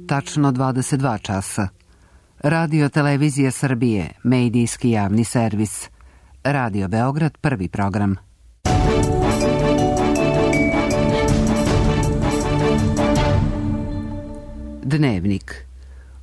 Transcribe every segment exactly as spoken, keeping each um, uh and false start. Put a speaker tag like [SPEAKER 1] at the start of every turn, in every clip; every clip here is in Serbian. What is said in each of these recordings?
[SPEAKER 1] tačno dvadeset dva časa. Radio Televizija Srbije, medijski javni servis. Radio Beograd, prvi program. Dnevnik.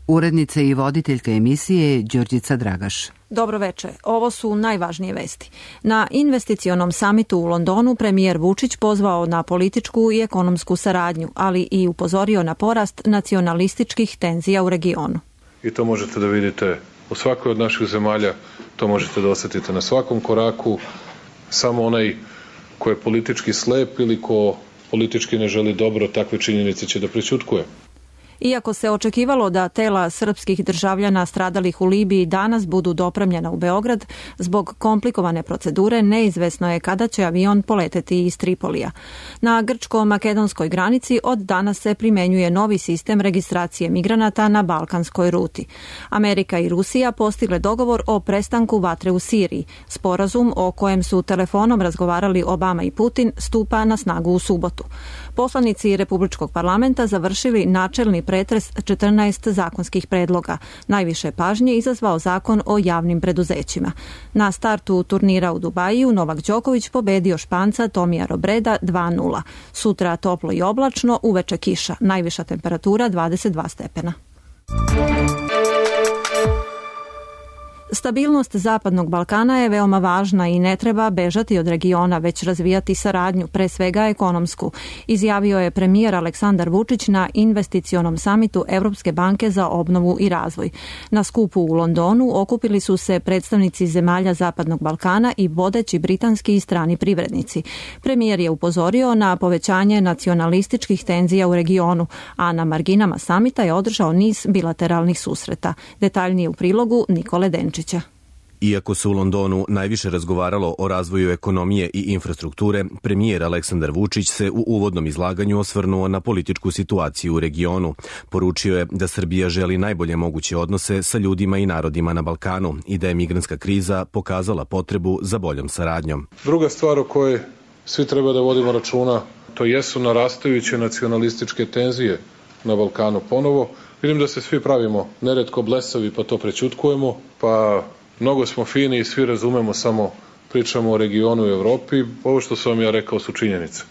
[SPEAKER 1] Urednica i voditeljka emisije Đurđica Dragaš.
[SPEAKER 2] Dobro veče. Ovo su najvažnije vesti. Na investicionom samitu u Londonu premijer Vučić pozvao na političku i ekonomsku saradnju, ali i upozorio na porast nacionalističkih tenzija u regionu.
[SPEAKER 3] I to možete da vidite u svakoj od naših zemalja, to možete da osetite na svakom koraku. Samo onaj ko je politički slep ili ko politički ne želi dobro, takve činjenice će da prećutkuje.
[SPEAKER 2] Iako se očekivalo da tela srpskih državljana stradalih u Libiji danas budu dopremljena u Beograd, zbog komplikovane procedure neizvesno je kada će avion poleteti iz Tripolija. Na grčko-makedonskoj granici od danas se primenjuje novi sistem registracije migranata na balkanskoj ruti. Amerika i Rusija postigle dogovor o prestanku vatre u Siriji. Sporazum o kojem su telefonom razgovarali Obama i Putin stupa na snagu u subotu. Poslanici Republičkog parlamenta završili načelni pretres četrnaest zakonskih predloga. Najviše pažnje izazvao zakon o javnim preduzećima. Na startu turnira u Dubaju Novak Đoković pobedio Španca Tomija Robreda dva nula. Sutra toplo i oblačno, uveče kiša. Najviša temperatura dvadeset dva stepena. Stabilnost Zapadnog Balkana je veoma važna i ne treba bežati od regiona, već razvijati saradnju, pre svega ekonomsku, izjavio je premijer Aleksandar Vučić na investicionom samitu Evropske banke za obnovu i razvoj. Na skupu u Londonu okupili su se predstavnici zemalja Zapadnog Balkana i vodeći britanski i strani privrednici. Premijer je upozorio na povećanje nacionalističkih tenzija u regionu, a na marginama samita je održao niz bilateralnih susreta. Detaljnije u prilogu Nikole Denčića.
[SPEAKER 4] Iako se u Londonu najviše razgovaralo o razvoju ekonomije i infrastrukture, premijer Aleksandar Vučić se u uvodnom izlaganju osvrnuo na političku situaciju u regionu. Poručio je da Srbija želi najbolje moguće odnose sa ljudima i narodima na Balkanu i da je migrantska kriza pokazala potrebu za boljom saradnjom.
[SPEAKER 3] Druga stvar o kojoj svi treba da vodimo računa, to jesu narastajuće nacionalističke tenzije na Balkanu ponovo. Vidim da se svi pravimo neretko blesavi pa to prećutkujemo, pa mnogo smo fini i svi razumemo, samo pričamo o regionu i Evropi. Ovo što sam vam ja rekao su činjenice.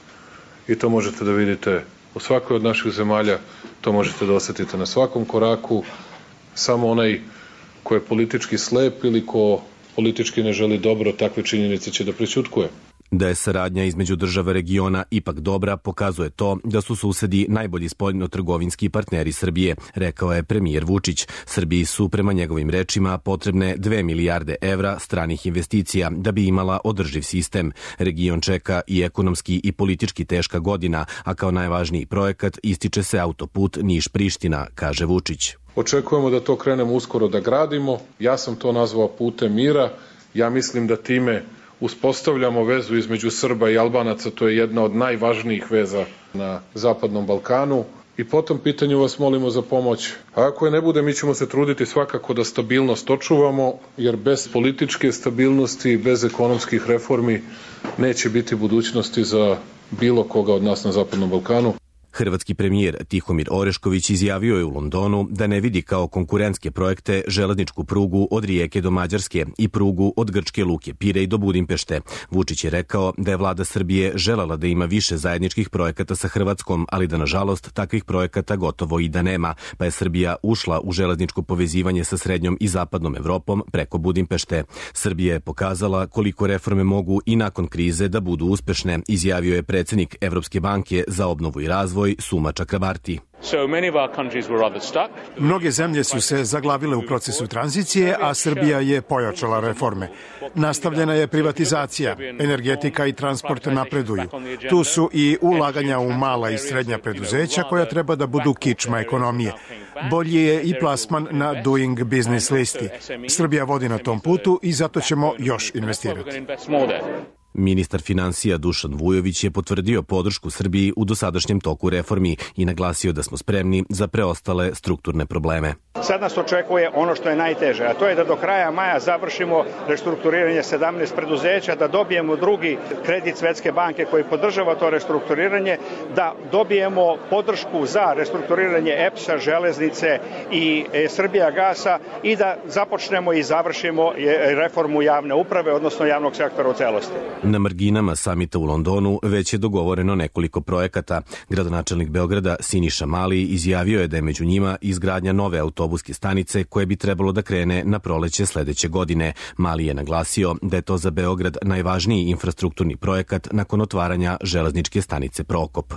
[SPEAKER 3] I to možete da vidite u svakoj od naših zemalja, to možete da osetite na svakom koraku. Samo onaj ko je politički slep ili ko politički ne želi dobro, takve činjenice će da prećutkuje.
[SPEAKER 4] Da je saradnja između država regiona ipak dobra, pokazuje to da su susedi najbolji spoljno-trgovinski partneri Srbije, rekao je premijer Vučić. Srbiji su, prema njegovim rečima, potrebne dve milijarde evra stranih investicija da bi imala održiv sistem. Region čeka i ekonomski i politički teška godina, a kao najvažniji projekat ističe se autoput Niš-Priština, kaže Vučić.
[SPEAKER 3] Očekujemo da to krenemo uskoro da gradimo. Ja sam to nazvao putem mira. Ja mislim da time uspostavljamo vezu između Srba i Albanaca, to je jedna od najvažnijih veza na Zapadnom Balkanu. I po tom pitanju vas molimo za pomoć. A ako je ne bude, mi ćemo se truditi svakako da stabilnost očuvamo, jer bez političke stabilnosti, bez ekonomskih reformi neće biti budućnosti za bilo koga od nas na Zapadnom Balkanu.
[SPEAKER 4] Hrvatski premijer Tihomir Orešković izjavio je u Londonu da ne vidi kao konkurentske projekte železničku prugu od Rijeke do Mađarske i prugu od grčke luke Pirej do Budimpešte. Vučić je rekao da je vlada Srbije želela da ima više zajedničkih projekata sa Hrvatskom, ali da nažalost takvih projekata gotovo i da nema, pa je Srbija ušla u železničko povezivanje sa srednjom i zapadnom Evropom preko Budimpešte. Srbija je pokazala koliko reforme mogu i nakon krize da budu uspešne, izjavio je predsjednik Evropske banke za obnovu i razvoj Suma Čakrabarti.
[SPEAKER 5] Mnoge zemlje su se zaglavile u procesu tranzicije, a Srbija je pojačala reforme. Nastavljena je privatizacija, energetika i transport napreduju. Tu su i ulaganja u mala i srednja preduzeća koja treba da budu kičma ekonomije. Bolji je i plasman na Doing Business listi. Srbija vodi na tom putu i zato ćemo još investirati.
[SPEAKER 4] Ministar finansija Dušan Vujović je potvrdio podršku Srbiji u dosadašnjem toku reformi i naglasio da smo spremni za preostale strukturne probleme.
[SPEAKER 6] Sad nas očekuje ono što je najteže, a to je da do kraja maja završimo restrukturiranje sedamnaest preduzeća, da dobijemo drugi kredit Svetske banke koji podržava to restrukturiranje, da dobijemo podršku za restrukturiranje E P S-a, Železnice i Srbijagasa i da započnemo i završimo reformu javne uprave, odnosno javnog sektora u celosti.
[SPEAKER 4] Na marginama samita u Londonu već je dogovoreno nekoliko projekata. Gradonačelnik Beograda Siniša Mali izjavio je da je među njima izgradnja nove autobuske stanice koje bi trebalo da krene na proleće sledeće godine. Mali je naglasio da je to za Beograd najvažniji infrastrukturni projekat nakon otvaranja železničke stanice Prokop.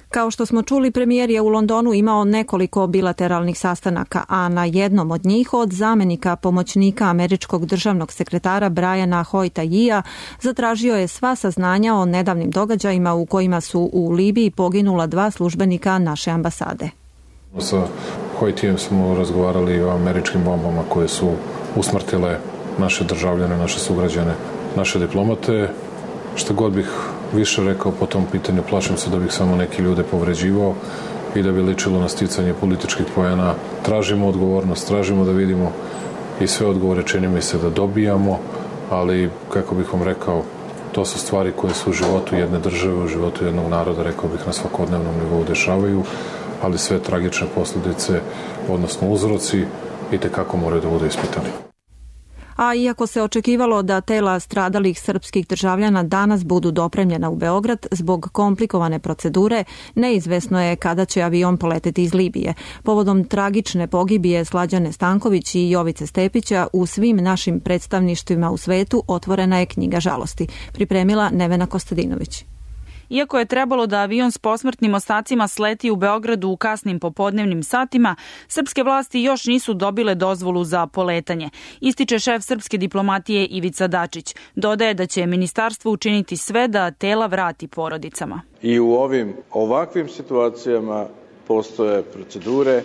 [SPEAKER 2] Kao što smo čuli, premijer je u Londonu imao nekoliko bilateralnih sastanaka, a na jednom od njih od zamenika pomoćnika američkog državnog sekretara Briana Hoyta-Yia zatražio je sva saznanja o nedavnim događajima u kojima su u Libiji poginula dva službenika naše ambasade.
[SPEAKER 3] Sa Hoytijem smo razgovarali o američkim bombama koje su usmrtile naše državljane, naše sugrađane, naše diplomate. Šta god bih više rekao po tom pitanju, plašim se da bih samo neki ljude povređivao i da bi ličilo na sticanje političkih poena. Tražimo odgovornost, tražimo da vidimo i sve odgovore čini mi se da dobijamo, ali kako bih vam rekao, to su stvari koje su u životu jedne države, u životu jednog naroda, rekao bih, na svakodnevnom nivou dešavaju, ali sve tragične posljedice, odnosno uzroci, i tekako moraju da budu ispitani.
[SPEAKER 2] A iako se očekivalo da tela stradalih srpskih državljana danas budu dopremljena u Beograd, zbog komplikovane procedure neizvesno je kada će avion poleteti iz Libije. Povodom tragične pogibije Slađane Stanković i Jovice Stepića u svim našim predstavništvima u svetu otvorena je knjiga žalosti. Pripremila Nevena Kostadinović.
[SPEAKER 7] Iako je trebalo da avion s posmrtnim ostacima sleti u Beogradu u kasnim popodnevnim satima, srpske vlasti još nisu dobile dozvolu za poletanje, ističe šef srpske diplomatije Ivica Dačić. Dodaje da će ministarstvo učiniti sve da tela vrati porodicama.
[SPEAKER 8] I u ovim ovakvim situacijama postoje procedure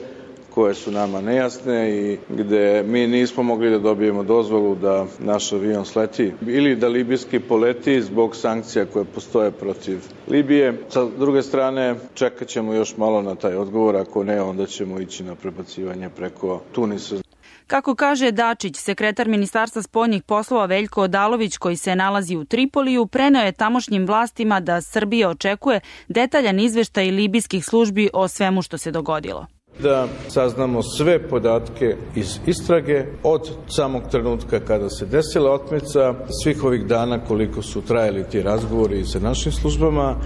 [SPEAKER 8] koje su nama nejasne i gde mi nismo mogli da dobijemo dozvolu da naš avion sleti ili da libijski poleti zbog sankcija koje postoje protiv Libije. Sa druge strane, čekat ćemo još malo na taj odgovor, ako ne, onda ćemo ići na prebacivanje preko Tunisa.
[SPEAKER 7] Kako kaže Dačić, sekretar Ministarstva spoljnih poslova Veljko Odalović, koji se nalazi u Tripoliju, preneo je tamošnjim vlastima da Srbija očekuje detaljan izveštaj libijskih službi o svemu što se dogodilo.
[SPEAKER 8] Da saznamo sve podatke iz istrage od samog trenutka kada se desila otmica, svih ovih dana koliko su trajali ti razgovori sa našim službama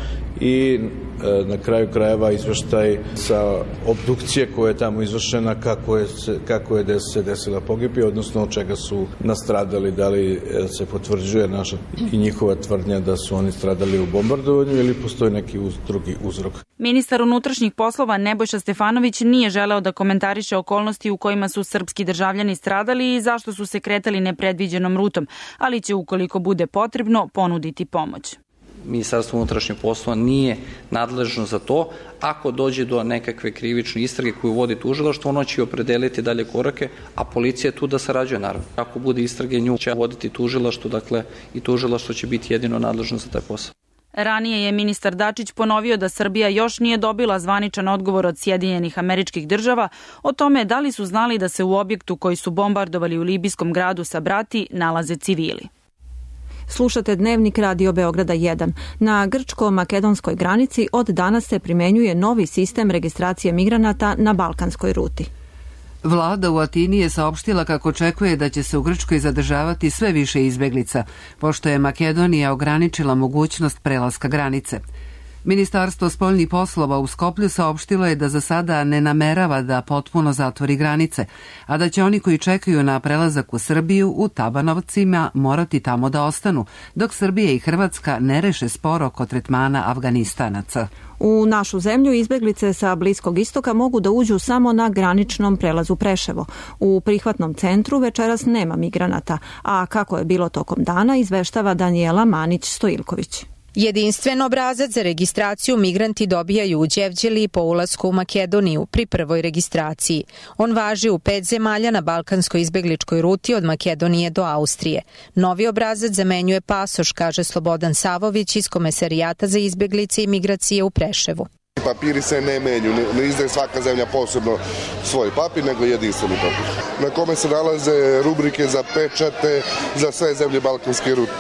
[SPEAKER 8] i e, na kraju krajeva izveštaj sa obdukcije koja je tamo izvršena, kako je, se, kako je se desila pogibija, odnosno od čega su nastradali, da li se potvrđuje naša i njihova tvrdnja da su oni stradali u bombardovanju ili postoji neki uz, drugi uzrok.
[SPEAKER 7] Ministar unutrašnjih poslova Nebojša Stefanović nije želeo da komentariše okolnosti u kojima su srpski državljani stradali i zašto su se kretali nepredviđenom rutom, ali će, ukoliko bude potrebno, ponuditi pomoć.
[SPEAKER 9] Ministarstvo unutrašnjih poslova nije nadležno za to. Ako dođe do nekakve krivične istrage koju vodi tužilaštvo, ono će opredeliti dalje korake, a policija je tu da sarađuje, naravno. Ako bude istrage, nju će voditi tužilaštvo, dakle i tužilaštvo će biti jedino nadležno za taj posao.
[SPEAKER 7] Ranije je ministar Dačić ponovio da Srbija još nije dobila zvaničan odgovor od Sjedinjenih Američkih Država o tome da li su znali da se u objektu koji su bombardovali u libijskom gradu Sabrati nalaze civili.
[SPEAKER 2] Slušate Dnevnik Radio Beograda jedan. Na grčko-makedonskoj granici od danas se primenjuje novi sistem registracije migranata na balkanskoj ruti.
[SPEAKER 1] Vlada u Atini je saopštila kako očekuje da će se u Grčkoj zadržavati sve više izbeglica, pošto je Makedonija ograničila mogućnost prelaska granice. Ministarstvo spoljnih poslova u Skoplju saopštilo je da za sada ne namerava da potpuno zatvori granice, a da će oni koji čekaju na prelazak u Srbiju u Tabanovcima morati tamo da ostanu, dok Srbija i Hrvatska ne reše spor oko tretmana Afganistanaca.
[SPEAKER 2] U našu zemlju izbeglice sa Bliskog istoka mogu da uđu samo na graničnom prelazu Preševo. U prihvatnom centru večeras nema migranata, a kako je bilo tokom dana izveštava Danijela Manić-Stojilković.
[SPEAKER 10] Jedinstven obrazac za registraciju migranti dobijaju u Đevđeli po ulasku u Makedoniju pri prvoj registraciji. On važi u pet zemalja na balkanskoj izbegličkoj ruti od Makedonije do Austrije. Novi obrazac zamenjuje pasoš, kaže Slobodan Savović iz Komesarijata za izbeglice i migracije u Preševu.
[SPEAKER 11] papiri se ne menju, ne, ne izdaje svaka zemlja posebno svoj papir, nego jedinstveni papir, na kome se nalaze rubrike za pečate za sve zemlje Balkanske rute,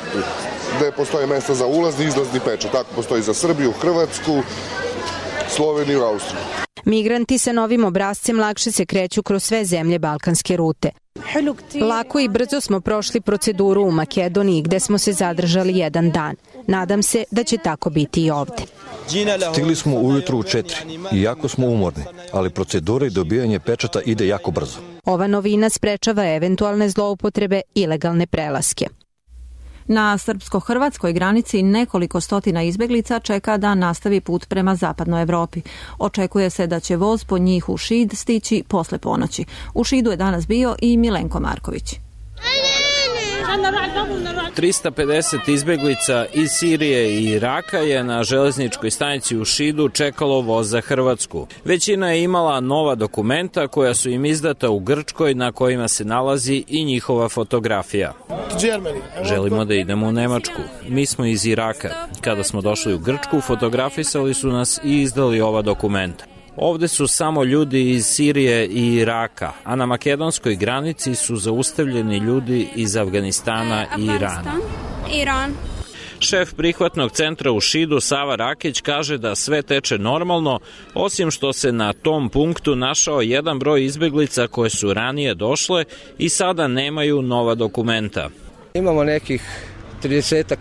[SPEAKER 11] gde postoje mesta za ulazni i izlazni pečat. Tako postoji za Srbiju, Hrvatsku, Sloveniju i Austriju.
[SPEAKER 10] Migranti sa novim obrascem lakše se kreću kroz sve zemlje Balkanske rute. Lako i brzo smo prošli proceduru u Makedoniji gde smo se zadržali jedan dan. Nadam se da će tako biti i ovde.
[SPEAKER 12] Stigli smo ujutru u četiri i jako smo umorni, ali procedura i dobijanje pečata ide jako brzo.
[SPEAKER 10] Ova novina sprečava eventualne zloupotrebe i ilegalne prelaske.
[SPEAKER 2] Na srpsko-hrvatskoj granici nekoliko stotina izbeglica čeka da nastavi put prema zapadnoj Evropi. Očekuje se da će voz po njih u Šid stići posle ponoći. U Šidu je danas bio i Milenko Marković.
[SPEAKER 13] trista pedeset izbeglica iz Sirije i Iraka je na železničkoj stanici u Šidu čekalo voz za Hrvatsku. Većina je imala nova dokumenta koja su im izdata u Grčkoj na kojima se nalazi i njihova fotografija. Želimo da idemo u Nemačku. Mi smo iz Iraka. Kada smo došli u Grčku, fotografisali su nas i izdali ova dokumenta. Ovde su samo ljudi iz Sirije i Iraka, a na makedonskoj granici su zaustavljeni ljudi iz Afganistana i Irana.
[SPEAKER 14] Iran.
[SPEAKER 13] Šef prihvatnog centra u Šidu, Sava Rakić, kaže da sve teče normalno, osim što se na tom punktu našao jedan broj izbeglica koje su ranije došle i sada nemaju nova dokumenta.
[SPEAKER 15] Imamo nekih tridesetak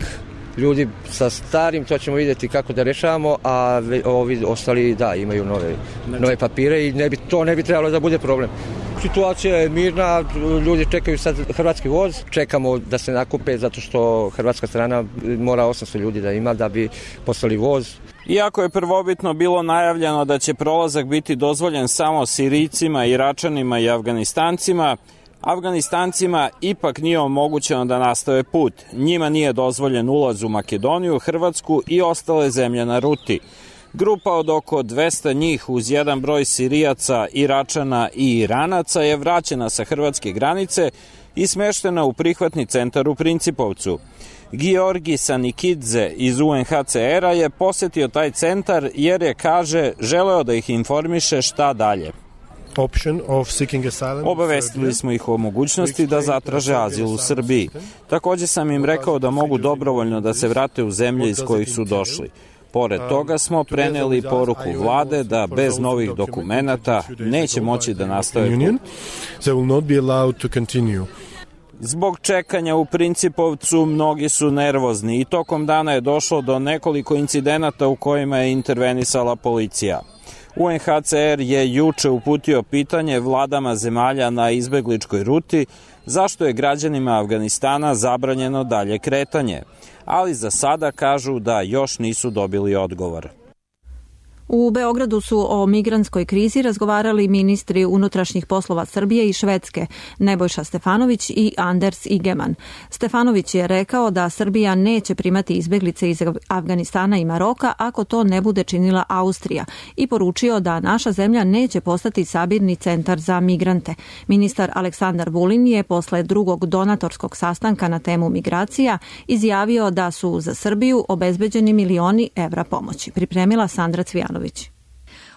[SPEAKER 15] ljudi sa starim, to ćemo vidjeti kako da rešavamo, a ovi ostali da imaju nove, nove papire i ne bi, to ne bi trebalo da bude problem. Situacija je mirna, ljudi čekaju sad hrvatski voz, čekamo da se nakupe zato što hrvatska strana mora osamsto ljudi da ima da bi poslali voz.
[SPEAKER 13] Iako je prvobitno bilo najavljeno da će prolazak biti dozvoljen samo Sirijcima, Iračanima i Afganistancima, Afganistancima ipak nije omogućeno da nastave put. Njima nije dozvoljen ulaz u Makedoniju, Hrvatsku i ostale zemlje na ruti. Grupa od oko dvesta njih uz jedan broj Sirijaca, Iračana i Iranaca je vraćena sa hrvatske granice i smeštena u prihvatni centar u Principovcu. Georgi Sanikidze iz U N H C R-a je posetio taj centar jer je, kaže, želeo da ih informiše šta dalje. Obavestili smo ih o mogućnosti da zatraže azil u Srbiji. Takođe sam im rekao da mogu dobrovoljno da se vrate u zemlje iz kojih su došli. Pored toga smo preneli poruku vlade da bez novih dokumenata neće moći da nastave put. Zbog čekanja u Principovcu mnogi su nervozni i tokom dana je došlo do nekoliko incidenata u kojima je intervenisala policija. U N H C R je juče uputio pitanje vladama zemalja na izbegličkoj ruti zašto je građanima Afganistana zabranjeno dalje kretanje, ali za sada kažu da još nisu dobili odgovor.
[SPEAKER 2] U Beogradu su o migrantskoj krizi razgovarali ministri unutrašnjih poslova Srbije i Švedske, Nebojša Stefanović i Anders Ygeman. Stefanović je rekao da Srbija neće primati izbeglice iz Afganistana i Maroka ako to ne bude činila Austrija i poručio da naša zemlja neće postati sabirni centar za migrante. Ministar Aleksandar Vulin je posle drugog donatorskog sastanka na temu migracija izjavio da su za Srbiju obezbeđeni milioni evra pomoći. Pripremila Sandra Cvijanović.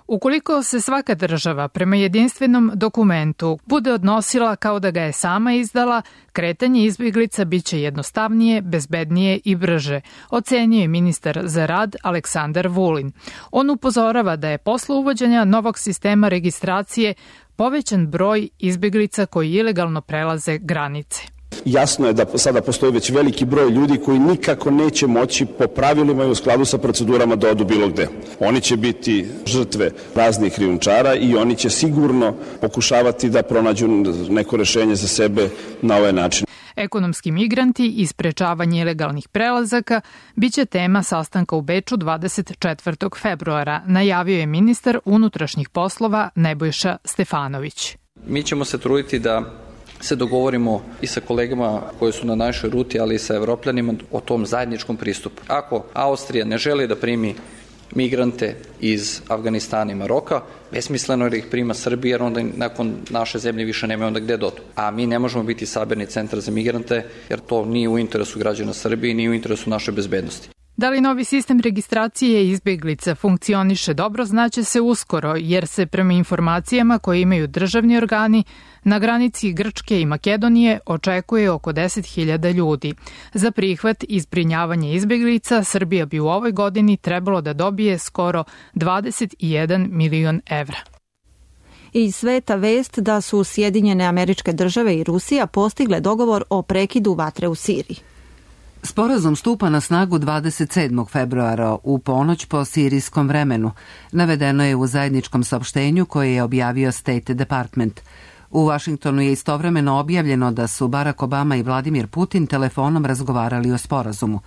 [SPEAKER 16] Ukoliko se svaka država prema jedinstvenom dokumentu bude odnosila kao da ga je sama izdala, kretanje izbeglica biće jednostavnije, bezbednije i brže, ocenio je ministar za rad Aleksandar Vulin. On upozorava da je posle uvođenja novog sistema registracije povećan broj izbeglica koji ilegalno prelaze granice.
[SPEAKER 17] Jasno je da sada postoji već veliki broj ljudi koji nikako neće moći po pravilima i u skladu sa procedurama da odu bilo gde. Oni će biti žrtve raznih krijumčara i oni će sigurno pokušavati da pronađu neko rešenje za sebe na ovaj način.
[SPEAKER 16] Ekonomski migranti i sprečavanje ilegalnih prelazaka biće tema sastanka u Beču dvadeset četvrtog februara, najavio je ministar unutrašnjih poslova Nebojša Stefanović.
[SPEAKER 9] Mi ćemo se truditi da se dogovorimo i sa kolegama koji su na našoj ruti, ali i sa Evropljanima o tom zajedničkom pristupu. Ako Austrija ne želi da primi migrante iz Afganistana i Maroka, besmisleno je da ih prima Srbija, jer onda nakon naše zemlje više nemaju onda gde dodu. A mi ne možemo biti sabirni centar za migrante, jer to nije u interesu građana Srbije i nije u interesu naše bezbednosti.
[SPEAKER 16] Da li novi sistem registracije izbjeglica funkcioniše dobro, znaće se uskoro, jer se prema informacijama koje imaju državni organi, na granici Grčke i Makedonije očekuje oko deset hiljada ljudi. Za prihvat i zbrinjavanje izbjeglica Srbija bi u ovoj godini trebalo da dobije skoro dvadeset jedan milion evra.
[SPEAKER 2] Iz sveta vest da su Sjedinjene Američke Države i Rusija postigle dogovor o prekidu vatre u Siriji.
[SPEAKER 1] Sporazum stupa na snagu dvadeset sedmog februara u ponoć po sirijskom vremenu. Navedeno je u zajedničkom saopštenju koje je objavio State Department. U Vašingtonu je istovremeno objavljeno da su Barack Obama i Vladimir Putin telefonom razgovarali o sporazumu.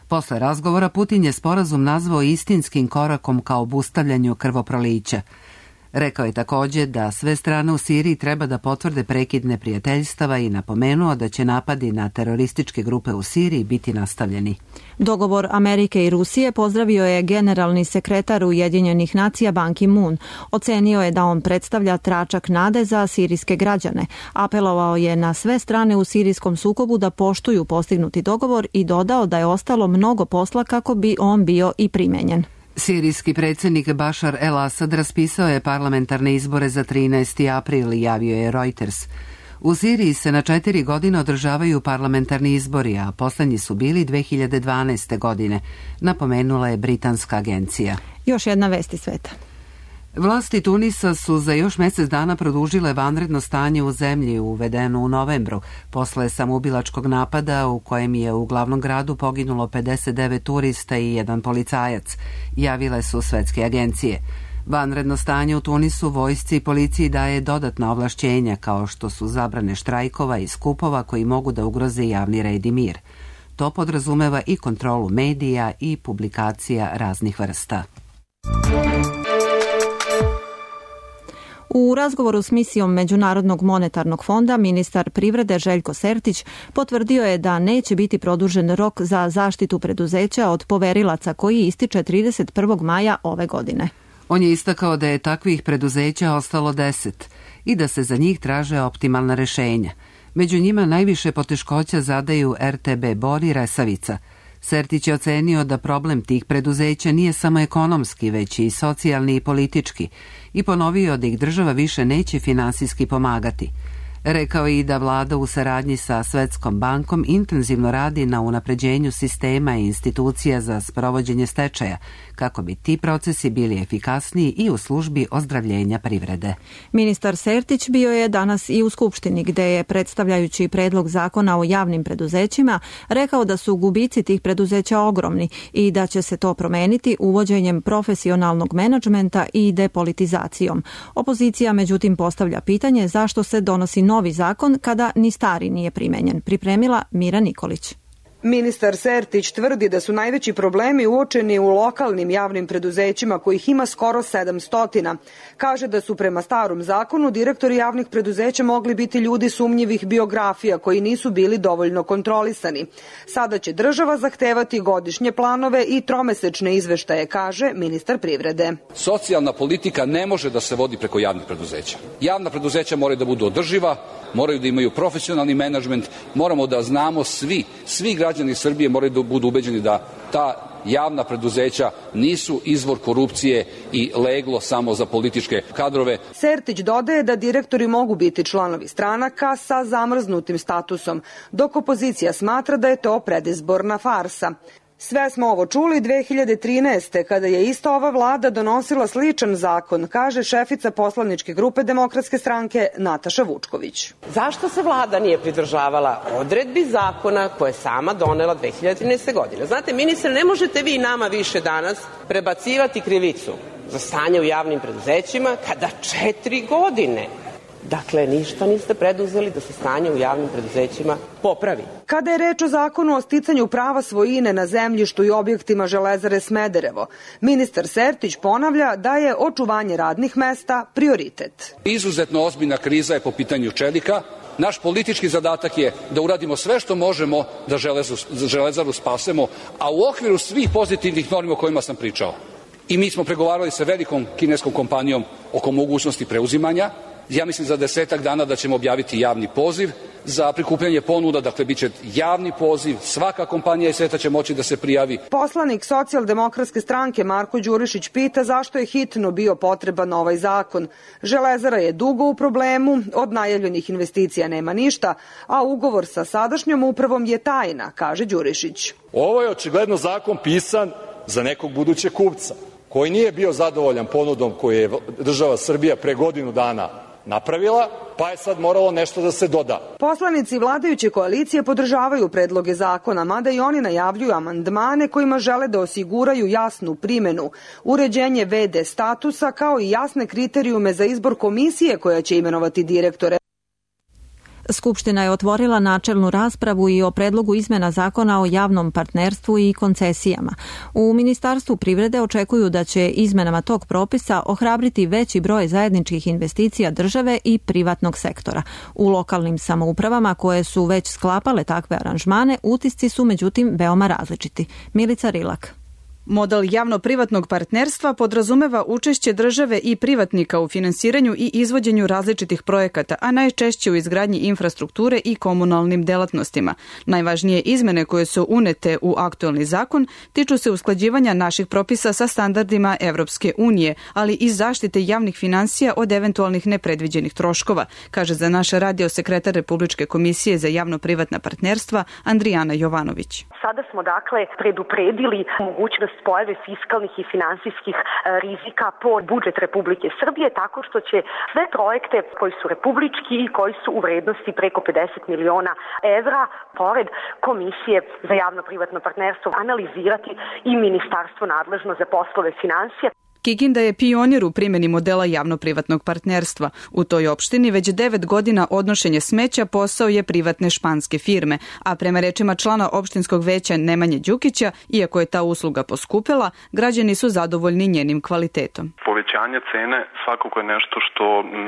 [SPEAKER 1] Posle razgovora Putin je sporazum nazvao istinskim korakom ka obustavljanju krvoprolića. Rekao je također da sve strane u Siriji treba da potvrde prekid neprijateljstava i napomenuo da će napadi na terorističke grupe u Siriji biti nastavljeni.
[SPEAKER 2] Dogovor Amerike i Rusije pozdravio je generalni sekretar Ujedinjenih nacija Ban Ki-moon. Ocenio je da on predstavlja tračak nade za sirijske građane. Apelovao je na sve strane u sirijskom sukobu da poštuju postignuti dogovor i dodao da je ostalo mnogo posla kako bi on bio i primenjen.
[SPEAKER 1] Sirijski predsjednik Bašar el-Asad raspisao je parlamentarne izbore za trinaesti april, javio je Reuters. U Siriji se na četiri godine održavaju parlamentarni izbori, a poslednji su bili dve hiljade dvanaeste. godine, napomenula je britanska agencija.
[SPEAKER 2] Još jedna vest iz sveta.
[SPEAKER 1] Vlasti Tunisa su za još mjesec dana produžile vanredno stanje u zemlji uvedeno u novembru, posle samoubilačkog napada u kojem je u glavnom gradu poginulo pedeset devet turista i jedan policajac, javile su svetske agencije. Vanredno stanje u Tunisu vojsci i policiji daje dodatna ovlašćenja, kao što su zabrane štrajkova i skupova koji mogu da ugroze javni red i mir. To podrazumeva i kontrolu medija i publikacija raznih vrsta.
[SPEAKER 2] U razgovoru s misijom Međunarodnog monetarnog fonda ministar privrede Željko Sertić potvrdio je da neće biti produžen rok za zaštitu preduzeća od poverilaca koji ističe trideset prvog maja ove godine.
[SPEAKER 1] On je istakao da je takvih preduzeća ostalo deset i da se za njih traže optimalna rešenja. Među njima najviše poteškoća zadaju er te be Bor i Resavica. Sertić je ocenio da problem tih preduzeća nije samo ekonomski, već i socijalni i politički i ponovio da ih država više neće finansijski pomagati. Rekao je i da vlada u saradnji sa Svetskom bankom intenzivno radi na unapređenju sistema i institucija za sprovođenje stečaja, kako bi ti procesi bili efikasniji i u službi ozdravljenja privrede.
[SPEAKER 2] Ministar Sertić bio je danas i u Skupštini, gde je, predstavljajući predlog zakona o javnim preduzećima, rekao da su gubici tih preduzeća ogromni i da će se to promeniti uvođenjem profesionalnog menadžmenta i depolitizacijom. Opozicija međutim postavlja pitanje zašto se donosi novi zakon kada ni stari nije primenjen. Pripremila Mira Nikolić.
[SPEAKER 14] Ministar Sertić tvrdi da su najveći problemi uočeni u lokalnim javnim preduzećima, kojih ima skoro sedamsto. Kaže da su prema starom zakonu direktori javnih preduzeća mogli biti ljudi sumnjivih biografija koji nisu bili dovoljno kontrolisani. Sada će država zahtevati godišnje planove i tromesečne izveštaje, kaže ministar privrede.
[SPEAKER 18] Socijalna politika ne može da se vodi preko javnih preduzeća. Javna preduzeća moraju da budu održiva, moraju da imaju profesionalni menadžment, moramo da znamo svi, svi građani Srbije moraju da budu ubeđeni da ta javna preduzeća nisu izvor korupcije i leglo samo za političke kadrove.
[SPEAKER 14] Sertić dodaje da direktori mogu biti članovi stranaka sa zamrznutim statusom, dok opozicija smatra da je to predizborna farsa. Sve smo ovo čuli dve hiljade trinaeste. kada je ista ova vlada donosila sličan zakon, kaže šefica poslaničke grupe Demokratske stranke Nataša Vučković.
[SPEAKER 19] Zašto se vlada nije pridržavala odredbi zakona koje je sama donela dve hiljade trinaeste. godine? Znate, ministre, ne možete vi nama više danas prebacivati krivicu za stanje u javnim preduzećima kada četiri godine Dakle, ništa niste preduzeli da se stanje u javnim preduzećima popravi.
[SPEAKER 14] Kada je reč o zakonu o sticanju prava svojine na zemljištu i objektima Železare Smederevo, ministar Sertić ponavlja da je očuvanje radnih mesta prioritet.
[SPEAKER 18] Izuzetno ozbiljna kriza je po pitanju čelika. Naš politički zadatak je da uradimo sve što možemo da Železaru spasemo, a u okviru svih pozitivnih normi o kojima sam pričao. I mi smo pregovarali sa velikom kineskom kompanijom oko mogućnosti preuzimanja. Ja mislim za desetak dana da ćemo objaviti javni poziv za prikupljanje ponuda, dakle bit će javni poziv, svaka kompanija iz sveta će moći da se prijavi.
[SPEAKER 14] Poslanik Socijaldemokratske stranke Marko Đurišić pita zašto je hitno bio potreban ovaj zakon. Železara je dugo u problemu, od najavljenih investicija nema ništa, a ugovor sa sadašnjom upravom je tajna, kaže Đurišić.
[SPEAKER 20] Ovo je očigledno zakon pisan za nekog budućeg kupca koji nije bio zadovoljan ponudom koju je država Srbija pre godinu dana napravila, pa je sad moralo nešto da se doda.
[SPEAKER 14] Poslanici vladajuće koalicije podržavaju predloge zakona, mada i oni najavljuju amandmane kojima žele da osiguraju jasnu primenu, uređenje ve de statusa kao i jasne kriterijume za izbor komisije koja će imenovati direktore.
[SPEAKER 2] Skupština je otvorila načelnu raspravu i o predlogu izmena zakona o javnom partnerstvu i koncesijama. U Ministarstvu privrede očekuju da će izmenama tog propisa ohrabriti veći broj zajedničkih investicija države i privatnog sektora. U lokalnim samoupravama koje su već sklapale takve aranžmane, utisci su međutim veoma različiti. Milica Rilak.
[SPEAKER 21] Model javno-privatnog partnerstva podrazumeva učešće države i privatnika u finansiranju i izvođenju različitih projekata, a najčešće u izgradnji infrastrukture i komunalnim delatnostima. Najvažnije izmene koje su unete u aktuelni zakon tiču se usklađivanja naših propisa sa standardima Evropske unije, ali i zaštite javnih finansija od eventualnih nepredviđenih troškova, kaže za naš radio sekretar Republičke komisije za javno-privatna partnerstva Andrijana Jovanović.
[SPEAKER 22] Sada smo dakle predupredili mogućnost pojave fiskalnih i finansijskih rizika po budžet Republike Srbije, tako što će sve projekte koji su republički i koji su u vrednosti preko pedeset miliona evra, pored Komisije za javno-privatno partnerstvo, analizirati i ministarstvo nadležno za poslove finansija.
[SPEAKER 21] Kikinda je pionir u primjeni modela javno-privatnog partnerstva. U toj opštini već devet godina odnošenje smeća posao je privatne španske firme, a prema rečima člana opštinskog veća Nemanje Đukića, iako je ta usluga poskupela, građani su zadovoljni njenim kvalitetom.
[SPEAKER 23] Povećanje cene svakako je nešto što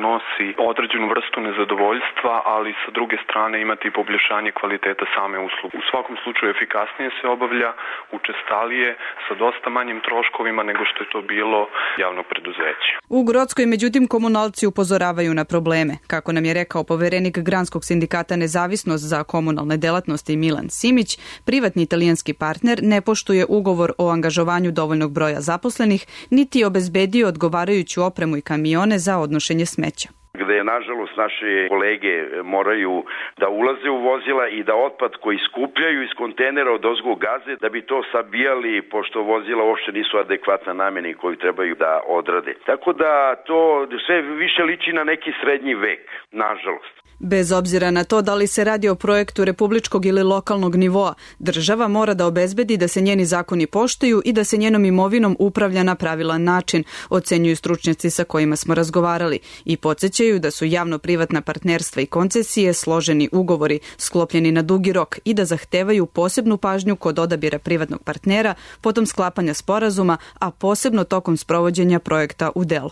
[SPEAKER 23] nosi određenu vrstu nezadovoljstva, ali sa druge strane imati i poboljšanje kvaliteta same usluge. U svakom slučaju efikasnije se obavlja, učestalije, sa dosta manjim troškovima nego što je to bilo javnog preduzeća.
[SPEAKER 21] U Grockoj, međutim, komunalci upozoravaju na probleme. Kako nam je rekao poverenik Granskog sindikata Nezavisnost za komunalne delatnosti Milan Simić, privatni italijanski partner ne poštuje ugovor o angažovanju dovoljnog broja zaposlenih, niti obezbedio odgovarajuću opremu i kamione za odnošenje smeća.
[SPEAKER 24] Gde, nažalost, naše kolege moraju da ulaze u vozila i da otpad koji skupljaju iz kontejnera od ozgo gaze, da bi to sabijali, pošto vozila uopšte nisu adekvatna nameni koju trebaju da odrade. Tako da to sve više liči na neki srednji vek, nažalost.
[SPEAKER 21] Bez obzira na to da li se radi o projektu republičkog ili lokalnog nivoa, država mora da obezbedi da se njeni zakoni poštuju i da se njenom imovinom upravlja na pravilan način, ocenjuju stručnjaci sa kojima smo razgovarali i podsjećaju da su javno-privatna partnerstva i koncesije složeni ugovori, sklopljeni na dugi rok i da zahtevaju posebnu pažnju kod odabira privatnog partnera, potom sklapanja sporazuma, a posebno tokom sprovođenja projekta u delo.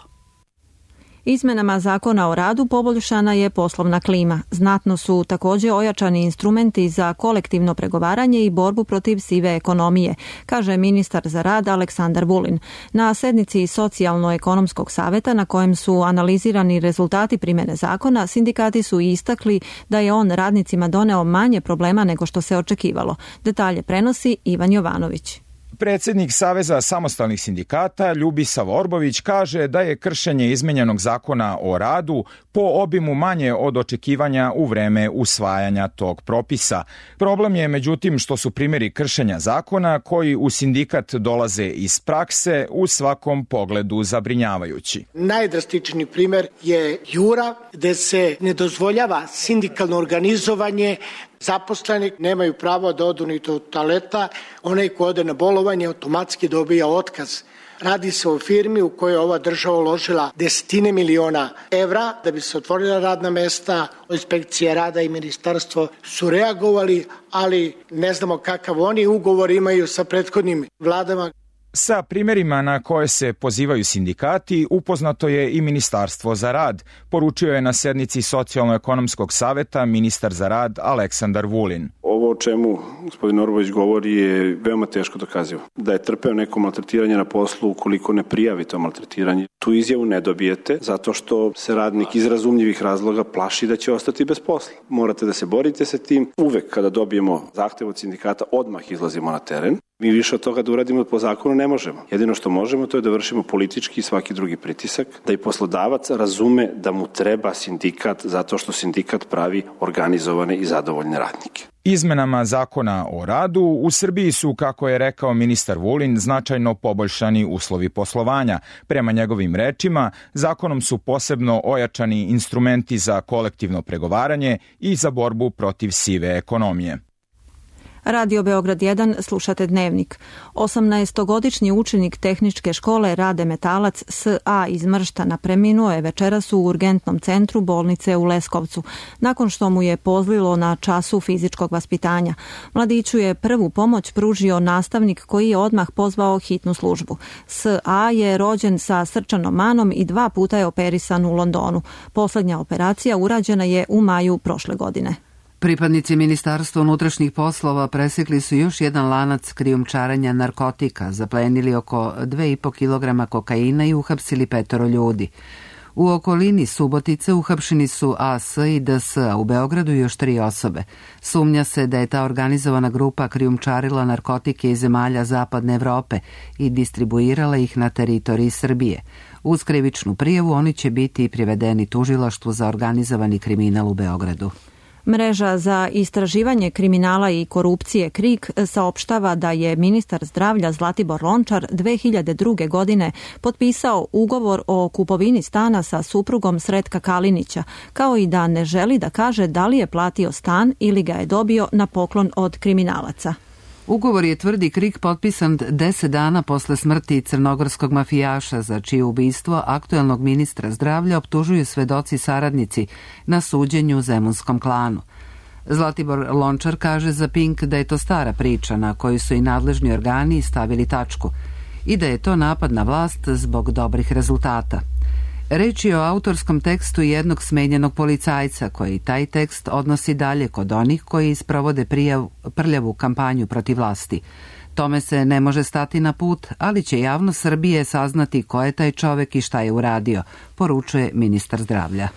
[SPEAKER 2] Izmenama zakona o radu poboljšana je poslovna klima. Znatno su također ojačani instrumenti za kolektivno pregovaranje i borbu protiv sive ekonomije, kaže ministar za rad Aleksandar Vulin. Na sednici Socijalno-ekonomskog saveta na kojem su analizirani rezultati primjene zakona, sindikati su istakli da je on radnicima doneo manje problema nego što se očekivalo. Detalje prenosi Ivan Jovanović.
[SPEAKER 25] Predsjednik Saveza samostalnih sindikata Ljubisav Orbović kaže da je kršenje izmenjenog zakona o radu po obimu manje od očekivanja u vreme usvajanja tog propisa. Problem je međutim što su primjeri kršenja zakona koji u sindikat dolaze iz prakse u svakom pogledu zabrinjavajući.
[SPEAKER 26] Najdrastičniji primjer je Jura, gde se ne dozvoljava sindikalno organizovanje. Zaposleni nemaju pravo da odu ni do toaleta, onaj ko ode na bolovanje automatski dobija otkaz. Radi se o firmi u kojoj je ova država uložila desetine miliona evra da bi se otvorila radna mesta. Inspekcija rada i ministarstvo su reagovali, ali ne znamo kakav oni ugovor imaju sa prethodnim vladama.
[SPEAKER 25] Sa primjerima na koje se pozivaju sindikati upoznato je i Ministarstvo za rad, poručio je na sednici Socijalno-ekonomskog saveta ministar za rad Aleksandar Vulin.
[SPEAKER 17] Ovo o čemu gospodin Orbović govori je veoma teško dokazivo. Da je trpeo neko maltretiranje na poslu ukoliko ne prijavi to maltretiranje. Tu izjavu ne dobijete zato što se radnik iz razumljivih razloga plaši da će ostati bez posla. Morate da se borite sa tim. Uvek kada dobijemo zahtev od sindikata, odmah izlazimo na teren. Mi više od toga da uradimo po zakonu ne možemo. Jedino što možemo to je da vršimo politički i svaki drugi pritisak, da i poslodavac razume da mu treba sindikat zato što sindikat pravi organizovane i zadovoljne radnike.
[SPEAKER 25] Izmenama zakona o radu u Srbiji su, kako je rekao ministar Vulin, značajno poboljšani uslovi poslovanja. Prema njegovim rečima, zakonom su posebno ojačani instrumenti za kolektivno pregovaranje i za borbu protiv sive ekonomije.
[SPEAKER 2] Radio Beograd jedan, slušate Dnevnik. osamnaestogodišnji učenik tehničke škole Rade Metalac S A iz Mrštana preminuo je večeras u urgentnom centru bolnice u Leskovcu, nakon što mu je pozlilo na času fizičkog vaspitanja. Mladiću je prvu pomoć pružio nastavnik koji je odmah pozvao hitnu službu. S A je rođen sa srčanom manom i dva puta je operisan u Londonu. Poslednja operacija urađena je u maju prošle godine.
[SPEAKER 1] Pripadnici Ministarstva unutrašnjih poslova presekli su još jedan lanac krijumčarenja narkotika, zaplenili oko dva i po kilograma kokaina i uhapsili petoro ljudi. U okolini Subotice uhapšeni su A S i D S, a u Beogradu još tri osobe. Sumnja se da je ta organizovana grupa krijumčarila narkotike iz zemalja Zapadne Evrope i distribuirala ih na teritoriji Srbije. Uz krivičnu prijavu oni će biti privedeni tužilaštvu za organizovani kriminal u Beogradu.
[SPEAKER 2] Mreža za istraživanje kriminala i korupcije KRIK saopštava da je ministar zdravlja Zlatibor Lončar dve hiljade druge. godine potpisao ugovor o kupovini stana sa suprugom Sretka Kalinića, kao i da ne želi da kaže da li je platio stan ili ga je dobio na poklon od kriminalaca.
[SPEAKER 1] Ugovor je, tvrdi KRIK, potpisan deset dana posle smrti crnogorskog mafijaša, za čije ubistvo aktuelnog ministra zdravlja optužuju svedoci saradnici na suđenju zemunskom klanu. Zlatibor Lončar kaže za Pink da je to stara priča na koju su i nadležni organi stavili tačku i da je to napad na vlast zbog dobrih rezultata. Reč je o autorskom tekstu jednog smenjenog policajca koji taj tekst odnosi dalje kod onih koji sprovode prijav, prljavu kampanju protiv vlasti. Tome se ne može stati na put, ali će javnost Srbije saznati ko je taj čovek i šta je uradio, poručuje ministar zdravlja.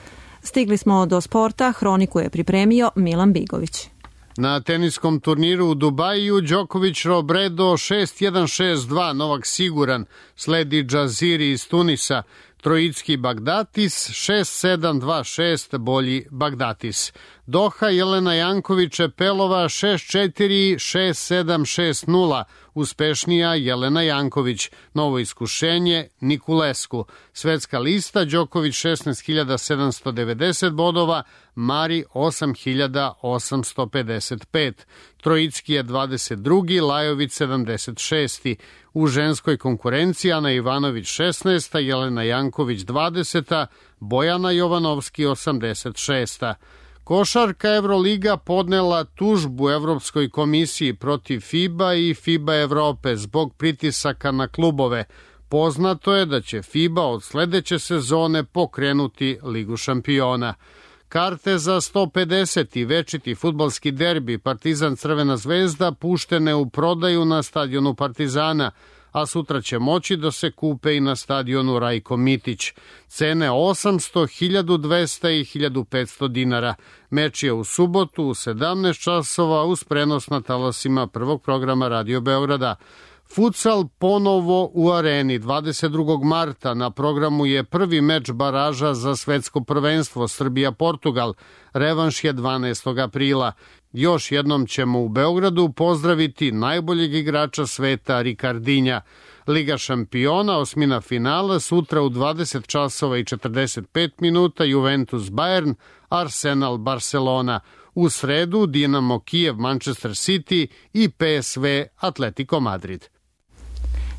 [SPEAKER 2] Stigli smo do sporta, hroniku je pripremio Milan Bigović.
[SPEAKER 3] Na teniskom turniru u Dubaju Đoković Robredo šest jedan šest dva, Novak siguran, sledi Džaziri iz Tunisa, Trojicki Bagdatis šest sedam dva šest, bolji Bagdatis. Doha Jelena Janković Pelova šest četiri šest sedam šest nula, uspešnija Jelena Janković. Novo iskušenje Nikulesku. Svetska lista Đoković šesnaest hiljada sedamsto devedeset bodova, Mari osam hiljada osamsto pedeset pet. Trojicki je dvadeset drugi, Lajović sedamdeset šesti. U ženskoj konkurenciji Ana Ivanović šesnaesta, Jelena Janković dvadeseta, Bojana Jovanovski osamdeset šesta. Košarka Evroliga podnela tužbu Evropskoj komisiji protiv FIBA i FIBA Evrope zbog pritisaka na klubove. Poznato je da će FIBA od sledeće sezone pokrenuti Ligu šampiona. Karte za sto pedeset večiti fudbalski derbi Partizan Crvena zvezda puštene u prodaju na stadionu Partizana, a sutra će moći da se kupe i na stadionu Rajko Mitić. Cene osamsto, hiljadu dvesta i hiljadu petsto dinara. Meč je u subotu u sedamnaest časova uz prenos na talasima prvog programa Radio Beograda. Futsal ponovo u areni. dvadeset drugog marta na programu je prvi meč baraža za svetsko prvenstvo Srbija-Portugal. Revanš je dvanaestog aprila. Još jednom ćemo u Beogradu pozdraviti najboljeg igrača sveta Rikardinja. Liga šampiona, osmina finala, sutra u dvadeset časova i četrdeset pet minuta Juventus Bayern, Arsenal Barcelona. U sredu Dinamo Kijev Manchester City i P S V Atletico Madrid.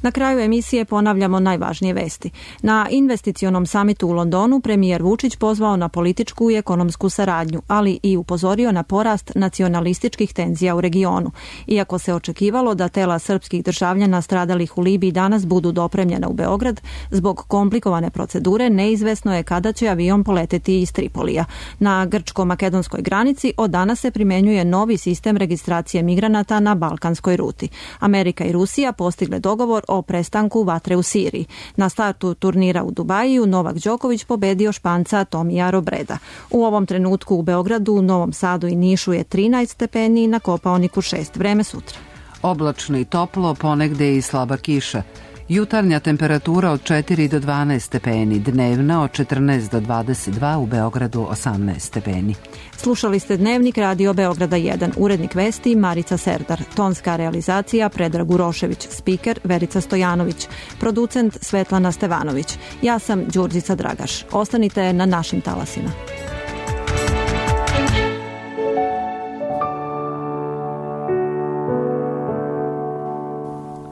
[SPEAKER 2] Na kraju emisije ponavljamo najvažnije vesti. Na investicionom samitu u Londonu premijer Vučić pozvao na političku i ekonomsku saradnju, ali i upozorio na porast nacionalističkih tenzija u regionu. Iako se očekivalo da tela srpskih državljana stradalih u Libiji danas budu dopremljena u Beograd, zbog komplikovane procedure neizvesno je kada će avion poleteti iz Tripolija. Na grčko-makedonskoj granici od danas se primenjuje novi sistem registracije migranata na balkanskoj ruti. Amerika i Rusija postigle dogovor o prestanku vatre u Siriji. Na startu turnira u Dubaju Novak Đoković pobedio Španca Tomija Robreda. U ovom trenutku u Beogradu, Novom Sadu i Nišu je trinaest stepeni, na Kopaoniku šest. Vreme sutra.
[SPEAKER 1] Oblačno i toplo, ponegde i slaba kiša. Jutarnja temperatura od četiri do dvanaest stepeni, dnevna od četrnaest do dvadeset dva, u Beogradu osamnaest stepeni.
[SPEAKER 2] Slušali ste Dnevnik Radio Beograda jedan, urednik vesti Marica Serdar, tonska realizacija Predrag Urošević, spiker Verica Stojanović, producent Svetlana Stevanović. Ja sam Đurđica Dragaš. Ostanite na našim talasima.